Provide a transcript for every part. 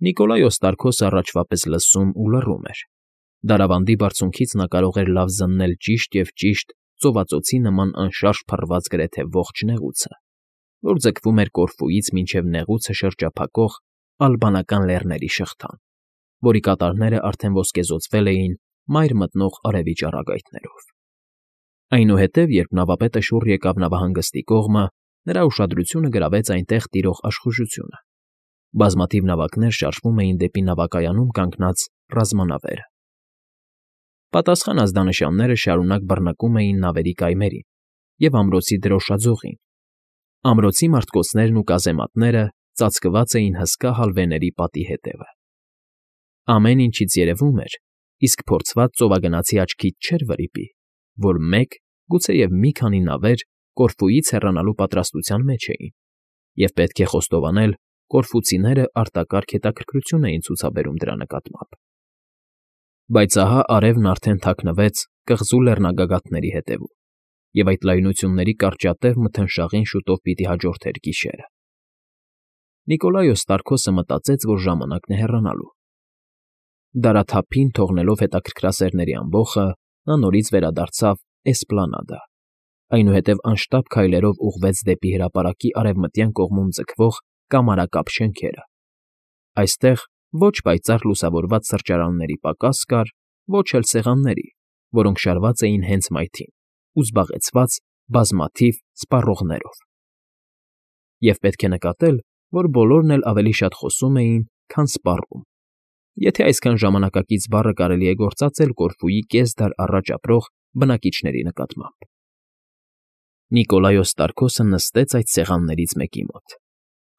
Նիկոլայ Օստարքոսը առաջվա պես լսում ու լռում էր. դարավանդի բարձունքից նա կարող էր լավ զննել ճիշտ և ճիշտ ծովածոցի նման անշարժ փռված գրեթե ողջ նեղուցը, որ ձգվում էր Կորֆուից մինչև նեղուցը շրջափակող Ալբանական լեռների շղթան, որի կատարները արդեն ոսկեզօծվել էին մայր մտնող արևի ճառագայթներով։ Այնուհետև, երբ նավապետը շուռ եկավ նավահանգստի կողմը, նրա ուշադրությունը գրավեց այնտեղ տիրող աշխուժությունը։ Բազմաթիվ նավակներ շարժվում էին դեպի նավակայանում կանգնած ռազմանավերը։ Պատասխան ազդանշանները շարունակ բռնկում էին նավերի կայմերին և ամրոցի դրոշաձողին։ Ամրոցի մարտկոցներն ու կազեմատները ծածկված էին հսկա հալվեների պատի հետևը։ Ամեն ինչից երևում էր, իսկ փորձված ծովագնացի աչքից չէր վրիպի, որ մեկ, գուցեև մի քանի նավեր Կորֆուից հեռանալու պատրաստության մեջ էին, և պետք է խոստովանել, կորֆուցիները արտակարգ հետաքրքրություն էին ցուցաբերում դրա նկատմամբ։ Բայց ահա արևն արդեն թաքնվեց կղզու լեռնագագաթների հետևում, և այդ լայնությունների կարճատև մթնշաղին շուտով պիտի հաջորդեր գիշերը։ Նիկոլայ Օստարքոսը մտածեց, որ ժամանակն է հեռանալու։ Դարաթափին թողնելով հետաքրքրասերների ամբոխը, նա նորից վերադարձավ Էսպլանադա, այնուհետև անշտապ քայլերով ուղղվեց դեպի հրապարակի արևմտյան կողմում ձգվող կամարակապ շենքերը։ Այստեղ ոչ պայծառ լուսավորված սրճարանների պակաս կար, ոչ էլ սեղանների, որոնք շարված էին հենց մայթին ու զբաղեցված բազմաթիվ սպառողներով։ Եվ պետք է նկատել, որ բոլորն էլ ավելի շատ խոսում էին, քան սպառում, եթե այսքան ժամանակակից բառը կարելի է գործածել Կորֆուի կես դար առաջ ապրող բնակիչների նկատմամբ։ Նիկոլայ Օստարքոսը նստեց այդ սեղաններից մեկի մոտ,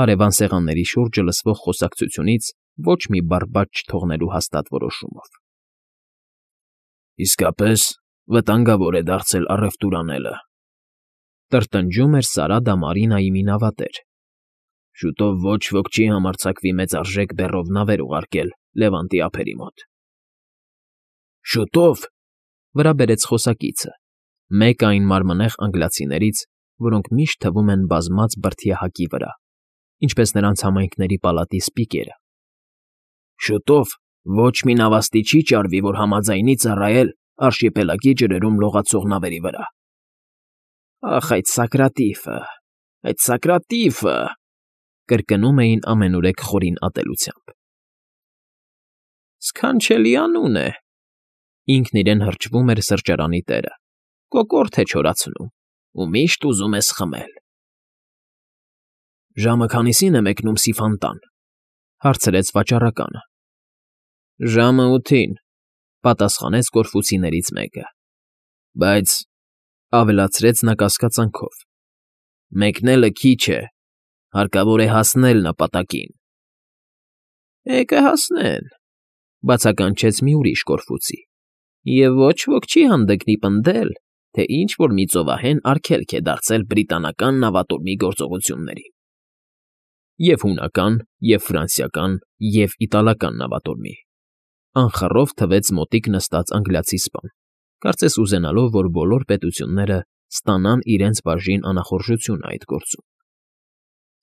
հարևան սեղանների շուրջը լսվող խոսակցությունից ոչ մի բառ բաց չթողնելու հաստատ որոշումով։ «Իսկապես վտանգավոր է դարձել առևտուր անելը», տրտնջում էր Սարա դա Մարինայի մի նավատեր։ «Շուտով ոչ ոք չի համարձակվի մեծարժեք բեռով նավեր ուղարկել Լևանտի ափերի մոտ»։ «Շուտով», վրա բերեց խոսակիցը, մեկը այն մարմնեղ անգլիացիներից, որոնք միշտ թվում են բազմած բրդյա հակի վրա, ինչպես նրանց համայնքների պալատի սպիկերը։ «Շուտով ոչ մի նավաստի չի ճարվի, որ համաձայնի ծառայել արշիպելագի ջրերում լողացող նավերի վրա»։ «Ախ, այդ Սակրատիֆը», կրկնում էին ամենուրեք խորին ատելությամբ։ «Սքանչելի անուն է», ինքն իրեն հրճվում էր սրճարանի տերը, «կոկորդ է չորացնում ու միշտ ուզում է սխմել»։ «Ժամը քանիսին է մեկնում Սիֆանտան», հարցրեց վաճառականը։ «Ժամը 8-ին», պատասխանեց կորֆուցիներից մեկը։ «Բայց», ավելացրեց նա կասկածանքով, «մեկնելը քիչ է, հարկավոր է հասնել նպատակին»։ «Կհասնեն», բացականչեց մի ուրիշ կորֆուցի, «և ոչ ոք չի հանդգնի պնդել, թե ինչ֊որ մի ծովահեն արգելք է դարձել բրիտանական նավատորմի գործողություններին» և հունական, և ֆրանսիական, և իտալական նավատորմի, անխռով թվեց մոտիկ նստած անգլիացի սպան, կարծես ուզենալով, որ բոլոր պետությունները ստանան իրենց բաժին անախորժությունը այդ գործում։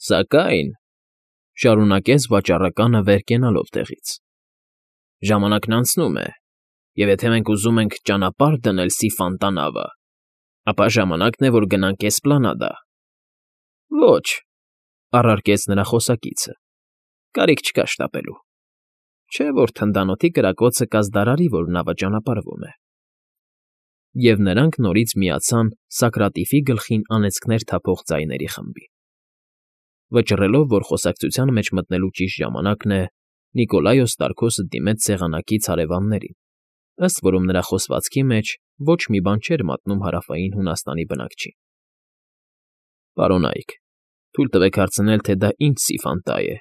«Սակայն», շարունակեց վաճառականը վեր կենալով տեղից, «ժամանակն անցնում է, և եթե մենք ուզում ենք ճանապարհ դնել Սիֆանտա նավը, ապա ժամանակն է, որ գնանք Էսպլանադա»։ «Ոչ», առարկեց նրա խոսակիցը, «կարիք չկա շտապելու, չէ՞ որ թնդանոթի կրակոցը կազդարարի, որ նավը ճանապարհվում է»։ Եվ նրանք նորից միացան Սակրատիֆի գլխին անեծքներ թափող ձայների խմբին։ Վճռելով, որ խոսակցության մեջ մտնելու ճիշտ ժամանակն է, Նիկոլայ Օստարքոսը դիմեց սեղանակից հարևաններին, ըստ որում նրա խոսվածքի մեջ ոչ մի բան չէր մատնում Հարավային Հունաստանի բնակչին։ «Պարոնայք, թույլ տվեք հարցնել, թե դա ինչ Սիֆանտա է,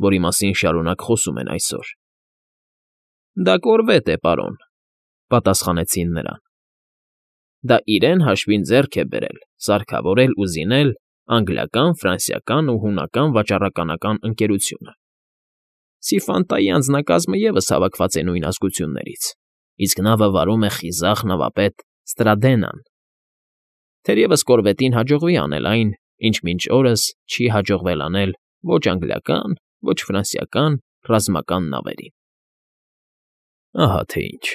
որի մասին շարունակ խոսում են այսօր»։ «Դա կորվետ է, պարոն», պատասխանեցին նրան։ «Դա իրեն հաշվին ձեռք է բերել, սարքավորել ու զինել անգլիական, ֆրանսիական ու հունական վաճառականական ընկերությունը։ Սիֆանտայի անձնակազմը ևս հավաքված է նույն ազգություններից, իսկ նավը վարում է խիզախ նավապետ Ստրադենան։ Թերևս կորվետին հաջողվի անել այն, ինչ մինչ օրս չի հաջողվել անել ոչ անգլիական, ոչ ֆրանսիական, ռազմական նավերին։ Ահա թե ինչ,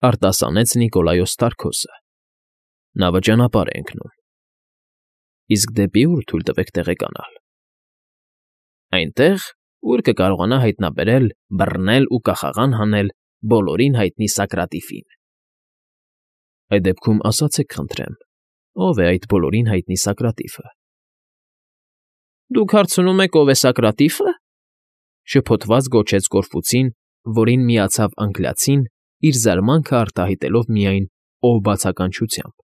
արտասանեց Նիկոլայոս Ստարկոսը։ Նավը ճանապարհ է ընկնում։ Իսկ դեպի ուր թույլ տվեք տեղեկանալ։ Այնտեղ, ուր կկարողանա հայտնաբերել, բռնել ու կախաղան հանել բոլորին հայտնի Սոկրատիֆին։ Այդ դեպքում ասացեք, խնդրեմ, ով է այդ բոլորին հայտնի Սոկրատիֆը։ Դուք հարցնում եք, ով է Սոկրատիֆը, շփոթված գոչեց Կորֆուցին, որին միացավ անգլիացին, իր զարմանքը արտահայտելով միայն ով բացականչությամբ։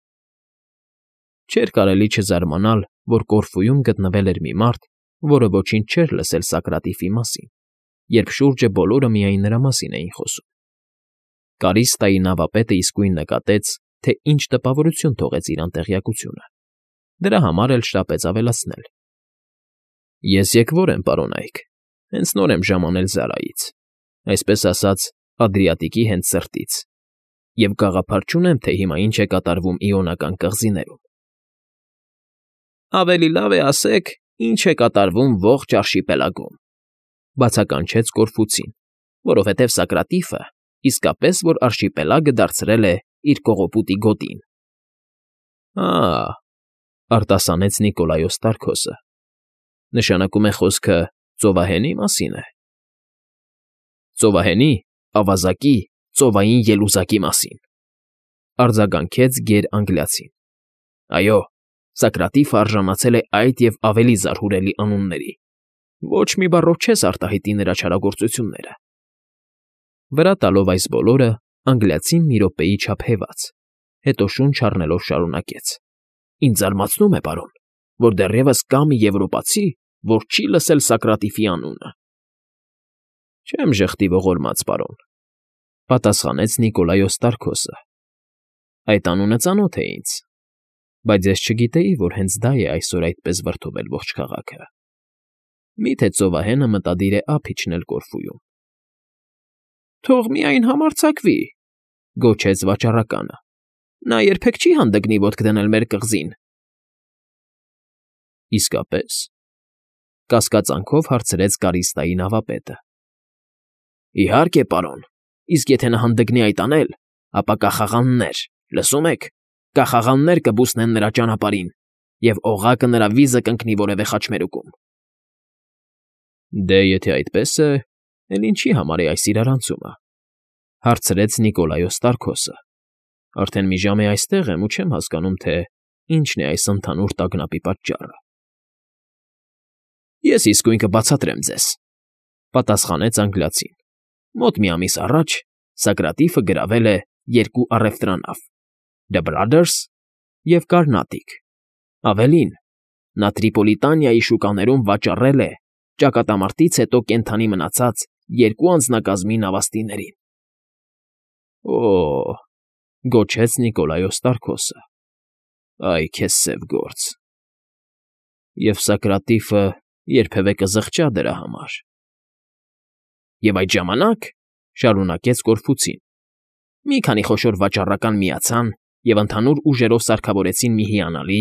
Չէր կարելի չզարմանալ, որ Կորֆուում գտնվել էր մի մարդ, որը ոչինչ չէր լսել Սոկրատիֆի մասին, երբ շուրջը բոլորը միայն նրա մասին էին խոսում։ Կարիստայի նավապետը իսկույն նկատեց, թե ինչ տպավորություն թողեց իրան տեղյակությունը։ Դրա համար էլ շտապեց ավելացնել. Ես եկվոր եմ, պարոն Այք, հենց նոր եմ ժամանել Զարայից, այսպես ասած, Ադրիատիկի հենց սրտից, և գաղափար չունեմ, թե հիմա ինչ է կատարվում Իոնական կղզիներում։ Ավելի լավ է ասեք, ինչ է կատարվում ողջ արշիպելագում, բացականչեց Կորֆուցին, որովհետև Սոկրատիֆը իսկապես որ արշիպելագը դարձրել է իր կողոպուտի գոտին։ Արտասանեց Նիկոլայոս Ստարկոսը։ Նշանակում է խոսքը ծովահենի մասին է։ Ծովահենի, ավազակի, ծովային ելուզակի մասին, արձագանքեց գեր-անգլիացին։ Այո, Սոկրատիֆը արժանացել է այդ և ավելի զարհուրելի անունների։ Ոչ մի բառով չես արտահայտի նրա չարագործությունները։ Վրա տալով այս բոլորը, անգլիացին մի րոպեի չափ հեվաց, հետո շունչ առնելով շարունակեց. Ինձ զարմացնում է, պարոն, որ դեռևս կա մի եվրոպացի, որ չի լսել Սոկրատիֆի անունը։ Չեմ ժխտի ողորմած, պարոն, պատասխանեց Նիկոլայոս Ստարկոսը։ Այդ անունը ծանոթ է ինձ, բայց ես չգիտեի, որ հենց դա է այսօր այդպես վրդովել ողջ քաղաքը։ Միթե ծովահենը մտադիր է ափ իջնել Կորֆուում։ Թող միայն համարձակվի, գոչեց վաճառականը։ Նա երբեք չի հանդգնի ոտք դնել մեր կղզին։ Իսկապես, կասկածանքով հարցրեց Կարիստայի նավապետը։ Իհարկե, պարոն, իսկ եթե նա հանդգնի այդ անել, ապա կախաղաններ, լսում եք, կախաղաններ կբուսնեն նրա ճանապարհին, և օղակը նրա վիզը կընկնի որևէ խաչմերուկում։ Դե, եթե այդպես է, էլ ինչի համար է այս իրարանցումը, հարցրեց Նիկոլայոս Ստարկոսը։ Արդեն մի ժամ է այստեղ եմ ու չեմ հասկանում, թե ինչն է այս ընդհանուր տագնապի պատճառը։ Ես իսկույն կբացատրեմ ձեզ, պատասխանեց անգլիացին։ Մոտ մի ամիս առաջ Սոկրատիֆը գրավել է երկու առևտրանավ՝ The Brothers և Carnatic։ Ավելին, նա Տրիպոլիտանիայի շուկաներում վաճառել է ճակատամարտից հետո կենդանի մնացած երկու անձնակազմի նավաստիներին։ Օ՜, գոչեց Նիկոլայոս Ստարկոսը։ Այ քեզ սև գործ։ Եվ Սոկրատիֆը երբևէ կզղջա դրա համար։ Եվ այդ ժամանակ, շարունակեց Կորֆուցին, մի քանի խոշոր վաճառական միացան և ընդհանուր ուժերով սարքավորեցին մի հիանալի,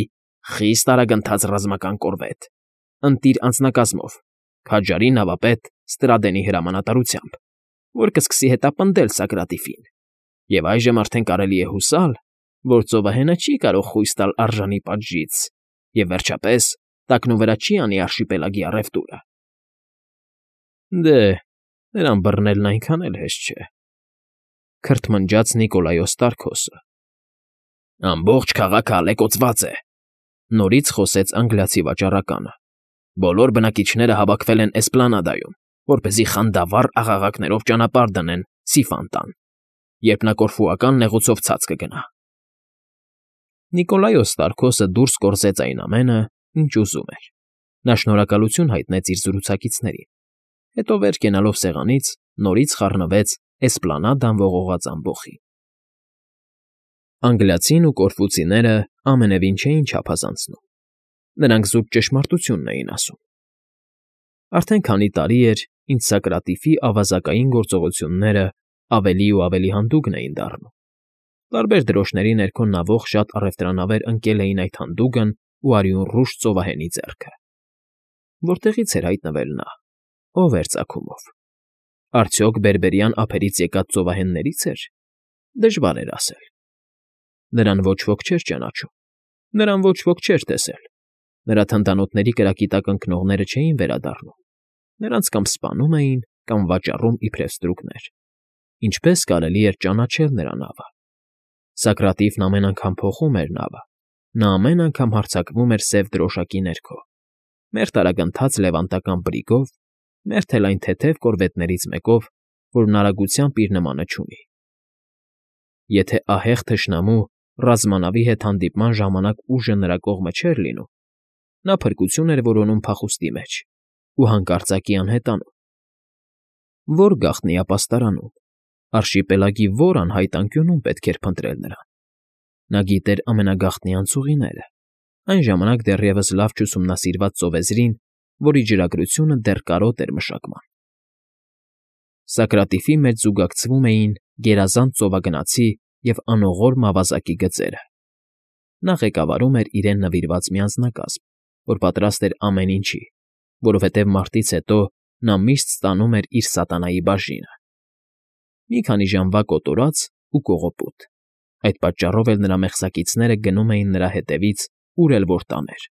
խիստ արագընթաց ռազմական կորվետ, ընտիր անձնակազմով, քաջարի նավապետ Ստրադենի հրամանատարությամբ, որ կսկսի հետապնդել Սոկրատիֆին, և այժմ արդեն կարելի է հուսալ, որ ծովահենը չի կարող խույս տալ արժանի պատժից և, վերջապես, տակնուվրա չի անի արշիպելագի առևտուրը։ Դե, նրան բռնելն այնքան էլ հեշտ չէ, քրթմնջաց Նիկոլայոս Ստարկոսը։ Ամբողջ քաղաքը ալեկոծված է, նորից խոսեց անգլիացի վաճառականը։ Բոլոր բնակիչները հավաքվել են Էսպլանադայում, որպեսզի խանդավառ աղաղակներով ճանապարհ դնեն Սիֆանտան, երբ նա կորֆուական նեղուցով ցած կգնա։ Նիկոլայոս Ստարկոսը դուրս կորզեց այն ամենը, ինչ ուզում էր։ Նա շնորհակալություն հայտնեց իր զրուցակիցներին, հետո վեր կենալով սեղանից նորից խառնվեց Էսպլանադան ողողած ամբոխին։ Անգլիացին ու կորֆուցիները ամենևին չէին չափազանցնում։ Նրանք զուտ ճշմարտությունն էին ասում։ Արդեն քանի տարի էր, ինչ Սոկրատիֆի ավազակային գործողությունները ավելի ու ավելի հանդուգն էին դառնում։ Տարբեր դրոշների ներքո նավող շատ առևտրանավեր ընկել էին այդ հանդուգն ու արյունռուշ ծովահենի ձեռքը։ Որտեղից էր հայտնվել նա, ով էր ծագումով։ Արդյոք բերբերյան ափերից եկած ծովահենների՞ց էր։ Դժվար էր ասել։ Նրան ոչ ոք չէր ճանաչում, նրան ոչ ոք չէր տեսել, նրա թնդանոթների կրակի տակ ընկնողները չէին վերադառնում, նրանց կամ սպանում էին, կամ վաճառում իբրև ստրուկներ։ Ինչպես կարելի էր ճանաչել նրա նավը։ Սոկրատիվն ամեն անգամ փոխում էր նավը, նա ամեն անգամ հարձակվում էր սև դրոշակի ներքո, մերթ արագընթաց լևանտական բրիգով, մերթ էլ այն թեթև կորվետներից մեկով, որն արագությամբ իր նմանը չունի։ Եթե ահեղ թշնամու ռազմանավի հետ հանդիպման ժամանակ ուժը նրա կողմը չէր լինում, նա փրկություն էր որոնում փախուստի մեջ ու հանկարծակի անհետանում։ Ո՞ր գաղտնի ապաստարանում, արշիպելագի ո՞ր անհայտ անկյունում պետք էր փնտրել նրան։ Նա գիտեր ամենագաղտնի անցուղիները, այն ժամանակ դեռևս լավ չուսումնասիրված ծովեզրին, որի ջրագրությունը դեռ կարոտն էր մշակման։ Սոկրատիվի մեջ զուգակցվում էին գերազանց ծովագնացի և անողորմ ավազակի գծերը։ Նա ղեկավարում էր իրեն նվիրված մի անձնակազմ, որ պատրաստ էր ամեն ինչի, որովհետև մարտից հետո նա միշտ ստանում էր իր սատանայի բաժինը։ Մի քանի ժամվա կոտորած ու կողոպուտ։ Այդ պատճառով էլ նրա մեղսակիցները գնում էին նրա հետևից, ուր էլ որ տաներ,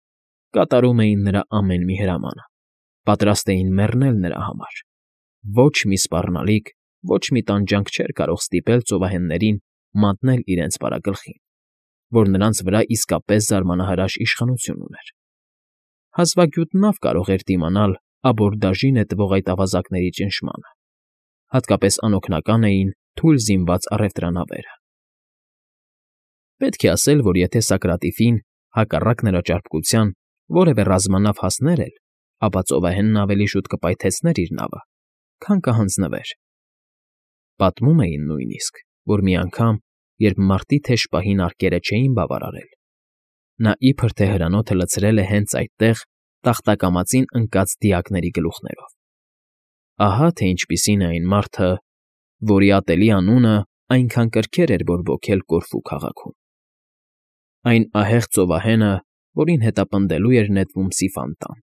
կատարում էին նրա ամեն մի հրամանը, պատրաստ էին մեռնել նրա համար։ Ոչ մի սպառնալիք, ոչ մի տանջանք չէր կարող ստիպել ծովահեններին մատնել իրենց պարագլխին, որ նրանց վրա իսկապես զարմանահրաշ իշխանություն ուներ։ Հազվագյուտ նավ կարող էր դիմանալ աբորդաժի նետվող այդ ավազակների ճնշմանը, հատկապես անօգնական էին թույլ զինված առևտրանավերը։ Պետք է ասել, որ եթե Սոկրատիվին, հակառակ նրա ճարպկության, որևէ ռազմանավ հասներ էլ, ապա ծովահենն ավելի շուտ կպայթեցներ իր նավը, քան կհանձնվեր։ Պատմում էին նույնիսկ, որ մի անգամ, երբ մարտի թեժ պահին արկերը չէին բավարարել, նա իբր թե հրանոթը լցրել է հենց այդտեղ տախտակամածին ընկած դիակների գլուխներով։ Ահա թե ինչպիսին է այն մարդը, որի ատելի անունը այնքան կրքեր էր բորբոքել Կորֆու քաղաքում։ Այն ահեղ ծովահենը, որին հետապնդելու էր նետվում Սիֆան֊տան։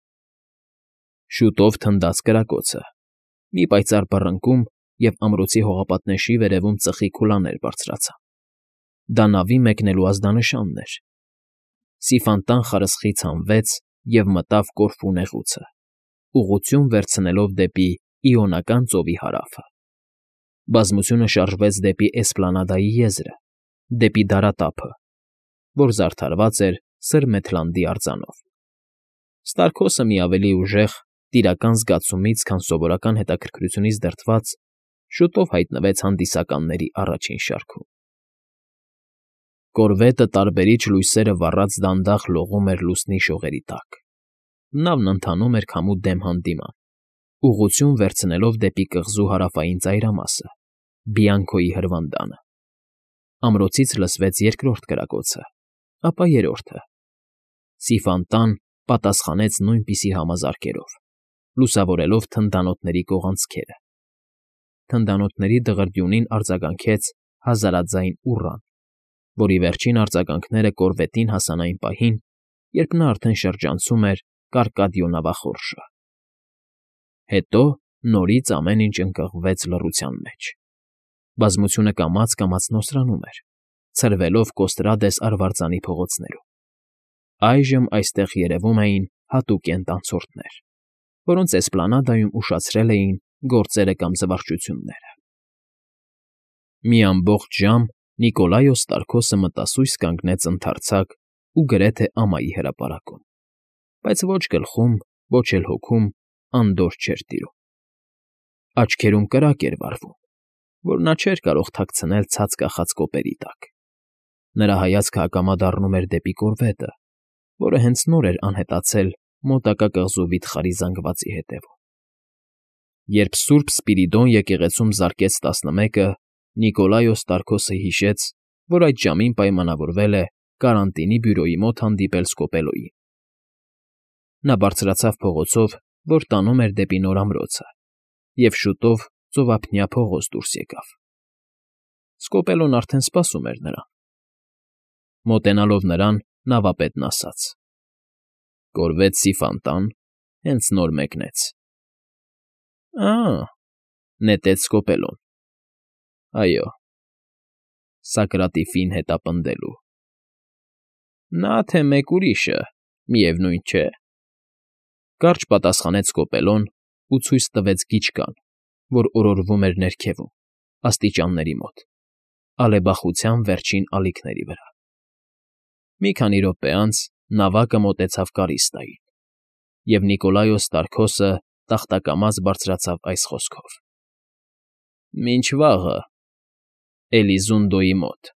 Շուտով թնդաց կրակոցը, մի պայծառ բռնկում և ամրոցի հողապատնեշի վերևում ծխի քուլաներ բարձրացան։ Դա նավի մեկնելու ազդանշանն էր։ Սիֆան֊տան խարսխից հանվեց և մտավ Կորֆու նեղուցը, ուղղություն վերցնելով դեպի Իոնական ծովի հարավը։ Բազմությունը շարժվեց դեպի Էսպլանադայի եզրը, դեպի դարատափը, որ զարդարված էր Սրմեթլանդի արձանով։ Ստարկոսը մի ավելի ուժեղ, տիրական զգացումից, քան սովորական հետաքրքրությունից դրդված, շուտով հայտնվեց հանդիսականների առաջին շարքում։ Կորվետը տարբերիչ լույսերը վառած դանդաղ լողում էր լուսնի շողերի տակ։ Նավն ընթանում էր քամու դեմ հանդիման, ուղղություն վերցնելով դեպի կղզու հարավային ծայրամասը, Բիանքոյի հրվանդանը։ Ամրոցից լսվեց երկրորդ կրակոցը, ապա երրորդը։ Սիֆան֊տան պատասխանեց նույնպիսի համազարկերով, լուսավորելով թնդանոթների կողանցքերը։ Թնդանոթների դղրդյունին արձագանքեց հազարաձայն ուռան, որի վերջին արձագանքները կորվետին հասան այն պահին, երբ նա արդեն շրջանցում էր Կարկադիո նավախորշը։ Հետո նորից ամեն ինչ ընկղմվեց լռության մեջ։ Բազմությունը կամաց֊կամաց նոսրանում էր, ցրվելով Կոստրադես արվարձանի փողոցներում։ Այժմ այստեղ երևում էին հատուկենտ անցորդներ, որոնց Էսպլանադայում ուշացրել էին գործերը կամ զվարճությունները։ Մի ամբողջ ժամ Նիկոլայոս Ստարկոսը մտասույս կանգնեց ընդարձակ ու գրեթե ամայի հրապարակում, բայց ոչ գլխում, ոչ էլ հոգում անդորր չէր տիրում։ Աչքերում կրակ էր վառվում, որ նա չէր կարող թաքցնել ցած կախած կոպերի տակ։ Նրա հայացքը ակամա դառնում էր դեպի կորվետը, որը հենց նոր էր անհետացել մոտակա կղզու վիթխարի զանգվածի հետևում։ Երբ Սուրբ Սպիրիդոն եկեղեցում զարկեց 11-ը, Նիկոլայոս Ստարկոսը հիշեց, որ այդ ժամին պայմանավորվել է կարանտինի բյուրոյի մոտ հանդիպել Սկոպելոյին։ Նա բարձրացավ փողոցով, որ տանում էր դեպի նոր ամրոցը, և շուտով ծովափնյա փողոց դուրս եկավ։ Սկոպելոն արդեն սպասում էր նրան։ Մոտենալով նրան, նավապետն ասաց. «Կորվետ Սիֆան֊տան հենց նոր մեկնեց»։ «Ա՜, Նետեց սկոպելուն։ Այո, Սակրատի ֆին հետապնդելու։ Նա թե մեկ ուրիշը, միևնույն չէ,֊ կարճ պատասխանեց Սկոպելոն ու ցույց տվեց գիչկան, որ օրորվում էր ներքևում, աստիճանների մոտ, ալեբախության վերջին ալիքների վրա։ Մի քանի րոպե անց նավակը մոտեցավ Կարիստային, և Նիկոլայոս Տարքոսը տախտակամած բարձրացավ այս խոսքով. «Մինչ վաղը, Էլիզունդոյի մոտ»։